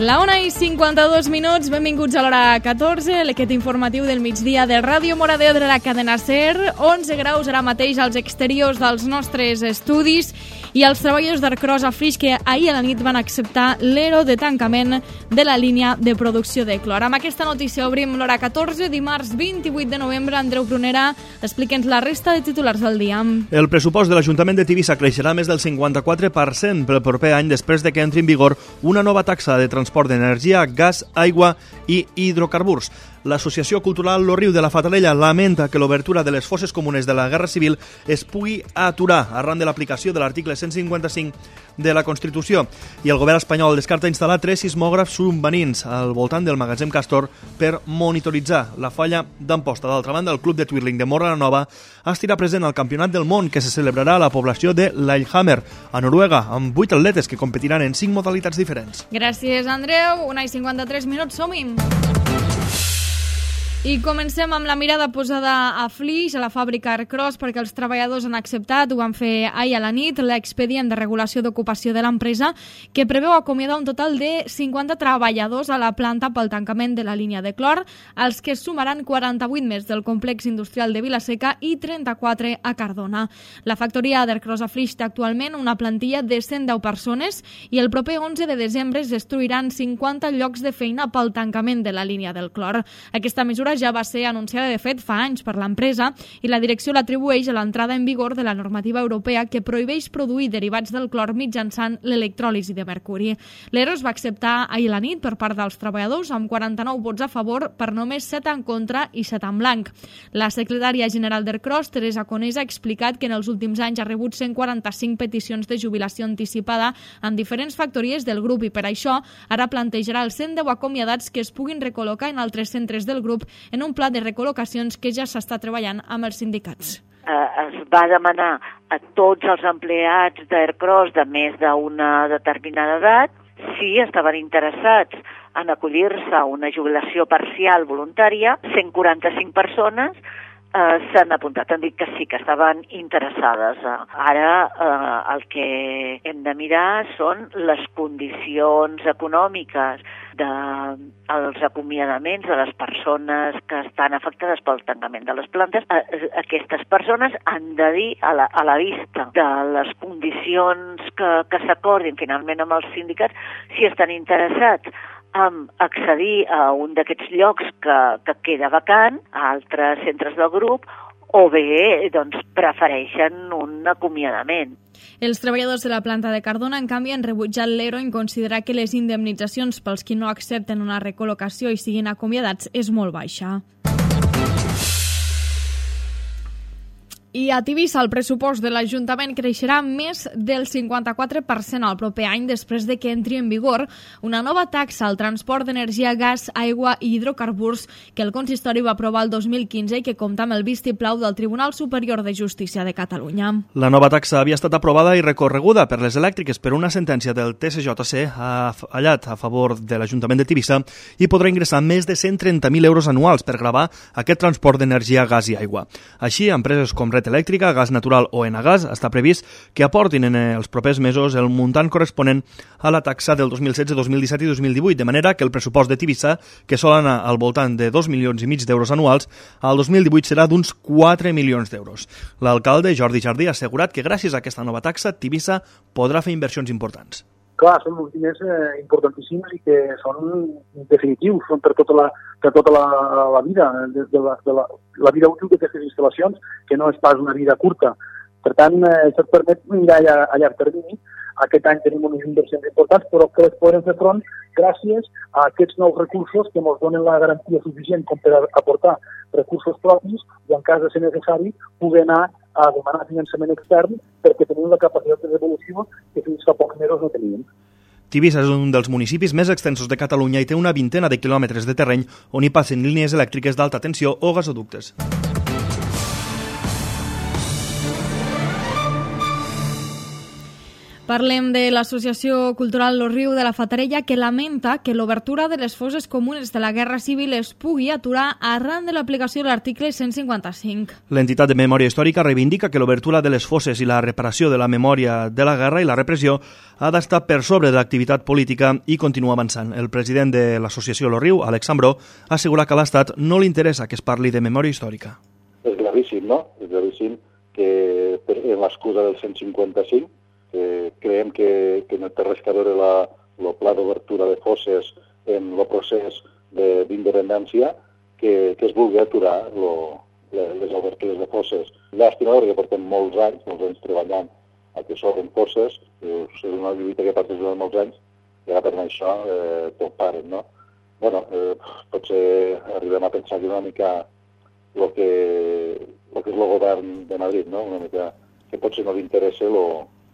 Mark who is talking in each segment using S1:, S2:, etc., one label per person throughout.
S1: La 1:52, benvinguts a l'hora 14, aquest informatiu del migdia de Ràdio Moradeo de la cadena SER. 11 graus ara mateix als exteriors dels nostres estudis i els treballadors d'Ercros a Flix que ahir a la nit van acceptar l'ERO de tancament de la línia de producció de clor. Amb aquesta notícia obrim l'hora 14, dimarts 28 de novembre. Andreu Prunera, explique'ns la resta de titulars del dia.
S2: El pressupost de l'Ajuntament de Tivissa creixerà més del 54% pel proper any després de que entri en vigor una nova taxa de transport d'energia, gas, aigua i hidrocarburs. L'Associació Cultural Lo Riu de la Fatarella lamenta que l'obertura de les fosses comunes de la Guerra Civil es pugui aturar arran de l'aplicació de l'article 155 de la Constitució, i el govern espanyol descarta instal·lar 3 sismògrafs submarins al voltant del magatzem Castor per monitoritzar la falla d'Amposta. D'altra banda, el club de Twirling de Móra la Nova estarà present al Campionat del Món que se celebrarà a la població de Lillehammer, a Noruega, amb 8 atletes que competiran en 5 modalitats diferents.
S1: Gràcies, Andreu. 1:53, som-hi! I comencem amb la mirada posada a Flix, a la fàbrica Ercros, perquè els treballadors han acceptat, ho van fer ahir a la nit, l'expedient de regulació d'ocupació de l'empresa, que preveu acomiadar un total de 50 treballadors a la planta pel tancament de la línia de clor, als que sumaran 48 més del complex industrial de Vilaseca i 34 a Cardona. La factoria d'Ercros a Flix té actualment una plantilla de 110 persones i el proper 11 de desembre es destruiran 50 llocs de feina pel tancament de la línia del clor. Aquesta mesura ja va ser anunciada de fet fa anys per l'empresa i la direcció l'atribueix a l'entrada en vigor de la normativa europea que prohibeix produir derivats del clor mitjançant l'electròlisi de mercuri. L'ERO es va acceptar ahir a la nit per part dels treballadors amb 49 vots a favor per només 7 en contra i 7 en blanc. La secretària general d'Ercros, Teresa Conesa, ha explicat que en els últims anys ha rebut 145 peticions de jubilació anticipada en diferents factories del grup i per això ara plantejarà els 110 acomiadats que es puguin recol·locar en altres centres del grup en un pla de recol·locacions que ja s'està treballant amb els sindicats.
S3: Es va demanar a tots els empleats d'Ercros de més d'una determinada edat si estaven interessats en acollir-se a una jubilació parcial voluntària. 145 persones s'han apuntat, han dit que sí, que estaven interessades. Ara el que hem de mirar són les condicions econòmiques dels acomiadaments de les persones que estan afectades pel tancament de les plantes. Aquestes persones han de dir a la vista de les condicions que s'acordin finalment amb els sindicats si estan interessats en accedir a un d'aquests llocs que queda vacant a altres centres del grup o bé doncs, prefereixen un acomiadament.
S1: Els treballadors de la planta de Cardona, en canvi, han rebutjat l'ERO en considerar que les indemnitzacions pels qui no accepten una recol·locació i siguin acomiadats és molt baixa. I a Tivissa el pressupost de l'Ajuntament creixerà més del 54% al proper any després de que entri en vigor una nova taxa al transport d'energia, gas, aigua i hidrocarburs que el consistori va aprovar el 2015 i que compta amb el vistiplau del Tribunal Superior de Justícia de Catalunya.
S2: La nova taxa havia estat aprovada i recorreguda per les elèctriques per una sentència del TSJC fallat a favor de l'Ajuntament de Tivissa i podrà ingressar més de 130.000 euros anuals per gravar aquest transport d'energia, gas i aigua. Així, empreses com Elèctrica, Gas Natural o Enagas està previst que aportin en els propers mesos el muntant corresponent a la taxa del 2016, 2017 i 2018, de manera que el pressupost de Tivissa, que sol anar al voltant de 2,5 milions d'euros anuals, al 2018 serà d'uns 4 milions d'euros. L'alcalde, Jordi Jardí, ha assegurat que gràcies a aquesta nova taxa, Tivissa podrà fer inversions importants.
S4: Clar, són uns diners importantíssims i que són definitius, són per tota la vida, des de la vida útil d'aquestes instal·lacions, que no és pas una vida curta. Per tant, això et permet mirar a llarg termini. Aquest any tenim unes inversions importants, però que les podrem fer front gràcies a aquests nous recursos que ens donen la garantia suficient com per aportar recursos propis i, en cas de ser necessari, poder anar a demanar finançament extern perquè tenim la capacitat de devolució que fins fa pocs mesos no teníem.
S2: Tivissa és un dels municipis més extensos de Catalunya i té una vintena de quilòmetres de terreny on hi passen línies elèctriques d'alta tensió o gasoductes.
S1: Parlem de l'Associació Cultural Lo Riu de la Fatarella, que lamenta que l'obertura de les fosses comunes de la Guerra Civil es pugui aturar arran de l'aplicació de l'article 155.
S2: L'entitat de memòria històrica reivindica que l'obertura de les fosses i la reparació de la memòria de la guerra i la repressió ha d'estar per sobre de l'activitat política i continua avançant. El president de l'Associació Lo Riu, Àlex Ambró, assegura que a l'Estat no li interessa que es parli de memòria històrica.
S5: És gravíssim, no? És gravíssim que en l'excusa del 155 creiem que no té res a veure el pla d'obertura de fosses en el procés d'independència que es vulgui aturar les obertures de fosses. Llàstima, perquè portem molts anys treballant a que s'obren fosses, és una lluita que parteix durant molts anys i ara per això tot paren, no? Bueno, potser arribem a pensar que una mica el que és el govern de Madrid, no? Una mica que potser no li interessa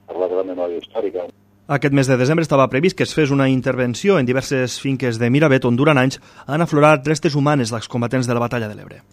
S5: parlar de la memòria històrica.
S2: Aquest mes de desembre estava previst que es fes una intervenció en diverses finques de Miravet on durant anys han aflorat restes humanes dels combatents de la Batalla de l'Ebre.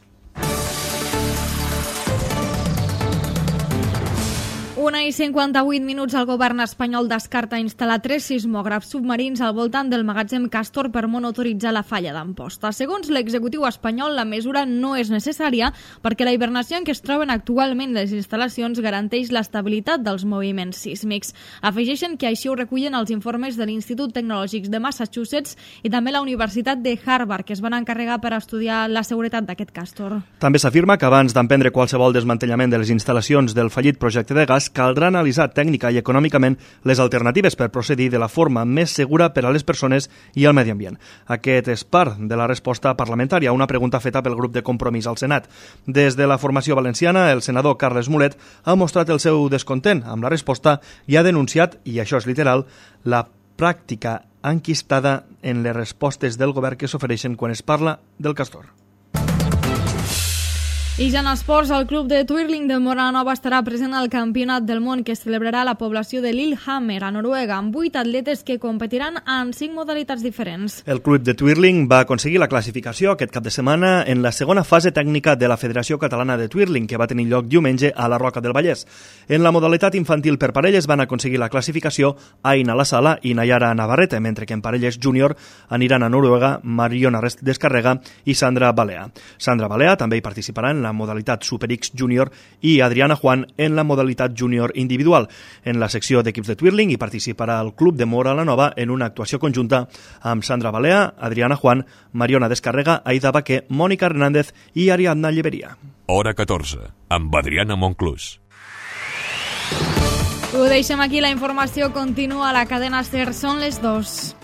S1: 1:58 el govern espanyol descarta instal·lar 3 sismògrafs submarins al voltant del magatzem Castor per monitoritzar la falla d'Amposta. Segons l'executiu espanyol, la mesura no és necessària perquè la hibernació en què es troben actualment les instal·lacions garanteix l'estabilitat dels moviments sísmics. Afegeixen que així ho recullen els informes de l'Institut Tecnològic de Massachusetts i també la Universitat de Harvard, que es van encarregar per estudiar la seguretat d'aquest Castor.
S2: També s'afirma que abans d'emprendre qualsevol desmantellament de les instal·lacions del fallit projecte de gas, caldrà analitzar tècnica i econòmicament les alternatives per procedir de la forma més segura per a les persones i al medi ambient. Aquest és part de la resposta parlamentària a una pregunta feta pel grup de Compromís al Senat. Des de la formació valenciana, el senador Carles Mulet ha mostrat el seu descontent amb la resposta i ha denunciat, i això és literal, la pràctica enquistada en les respostes del govern que s'ofereixen quan es parla del Castor.
S1: I ja en esports, el club de Twirling de Móra la Nova estarà present al Campionat del Món que es celebrarà a la població de Lillehammer, a Noruega, amb 8 atletes que competiran en 5 modalitats diferents.
S2: El club de Twirling va aconseguir la classificació aquest cap de setmana en la segona fase tècnica de la Federació Catalana de Twirling, que va tenir lloc diumenge a la Roca del Vallès. En la modalitat infantil per parelles van aconseguir la classificació Aina La Sala i Nayara Navarrete, mentre que en parelles júnior aniran a Noruega Mariona Descarrega i Sandra Balea. Sandra Balea també hi participarà en la modalitat Super X Junior i Adriana Juan en la modalitat Junior individual. En la secció d'equips de Twirling hi participarà el Club de Móra la Nova en una actuació conjunta amb Sandra Balea, Adriana Juan, Mariona Descarrega, Aida Baquer, Mònica Hernández i Ariadna Lleveria.
S6: Hora 14, amb Adriana Monclús.
S1: Ho deixem aquí, la informació continua a la cadena SER, són les 2.